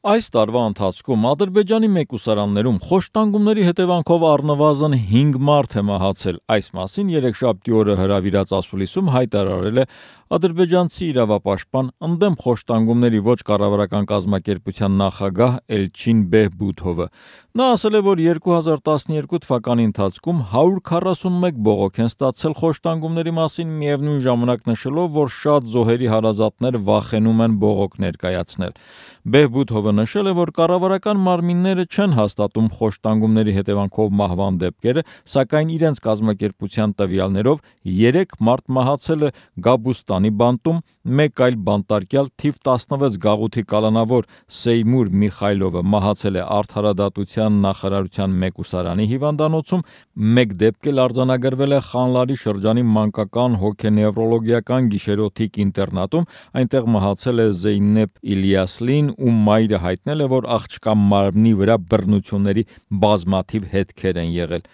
Այս տարվա ընթացքում Ադրբեջանի մեկուսարաններում խոշտանգումների հետևանքով առնվազն 5 մարդ է մահացել։ Այս մասին երեքշաբթի օրը հրավիրած ասուլիսում հայտարարել է ադրբեջանցի իրավապաշտպան ընդդեմ խոշտանգումների ոչ կառավարական կազմակերպության նախագահ Էլչին Բեհբութովը։ Նա ասել է, որ 2012 թվականի ընթացքում 141 բողոք են ստացել խոշտանգումների մասին, միևնույն ժամանակ նշելով, որ շատ զոհերի հարազատներ վախենում են բողոք ներկայացնել։ Բեհբութովը նշել է, որ կառավարական մարմինները չեն հաստատում խոշտանգումների հետևանքով մահվան դեպքերը, սակայն իրենց կազմակերպության տվյալներով 3 մարդ մահացել է Գաբուստանի բանտում, մեկ այլ բանտարկյալ թիվ 16 գաղութի կալանավոր Սեյմուր Միխայլովը մահացել է Արդարադատության նախարարության մեկուսարանի հիվանդանոցում, մեկ դեպք էլ արձանագրվել է Խանլարի շրջանի մանկական հոգենևրոլոգիական գիշերօթիկ ինտերնատում, այնտեղ մահացել է Զեյնեբ Իլյասլին, ում մայրը հայտնել է, որ աղջկա մարմնի վրա բռնությունների բազմաթիվ հետքեր են եղել։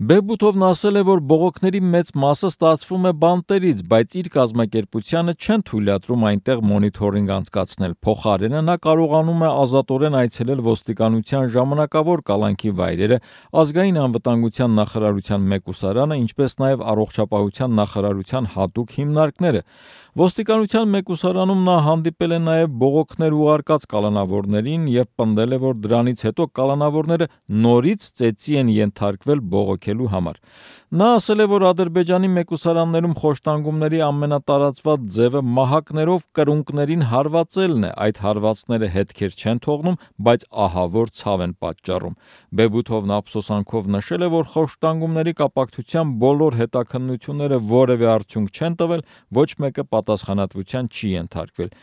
Բեհբութովն ասել է, որ բողոքների մեծ մասը ստացվում է բանտերից, բայց իր կազմակերպությանը չեն թույլատրում այնտեղ մոնիթորինգ անցկացնել։ Փոխարենը նա կարողանում է ազատորեն այցելել ոստիկանության ժամանակավոր կալանքի վայրերը, ազգային անվտանգության նախարարության մեկուսարանը, ինչպես նաև առողջապահության նախարարության հատուկ հիմնարկները։ Ոստիկանության մեկուսարանում նա հանդիպել է նաև բողոքներ ուղարկած կալանավորներին և պնդել է, որ դրանից հետո կալանավորները նորից ծեծի են ենթարկվել բողոքելու համար։ Նա ասել է, որ Ադրբեջանի մեկուսարաններում խոշտանգումների ամենատարածված ձևը մահակներով կրունկներին հարվածելն է, այդ հարվածները հետքեր չեն թողնում, բայց ահավոր ցավ են պատճառում։ Բեհբութովն ափսոսանքով նշել է, որ խոշտանգումների կապակցությամբ բոլոր հետաքննությունները որևէ արդյունք չեն տվել, ոչ մեկը պատասխանատվության չի ենթարկվել։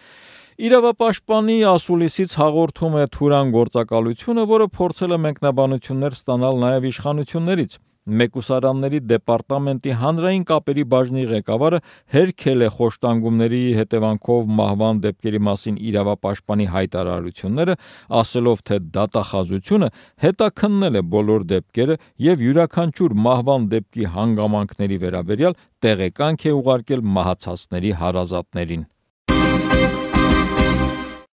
Իրավապաշտպանի ասուլիսից հաղորդում է Թուրան գործակալությունը, որը փորձել է մեկնաբանություններ ստանալ նաև իշխանություններից։ Մեկուսարանների դեպարտամենտի հանրային կապերի բաժնի ղեկավարը հերքել է խոշտանգումների հետևանքով մահվան դեպքերի մասին իրավապաշտպանի հայտարարությունները, ասելով, թե դատախազությունը հետաքննել է բոլոր դեպքերը և յուրաքանչյուր մահվան դեպքի հանգամանքների վերաբերյալ տեղեկանք է ուղարկել մահացածների հարազատներին։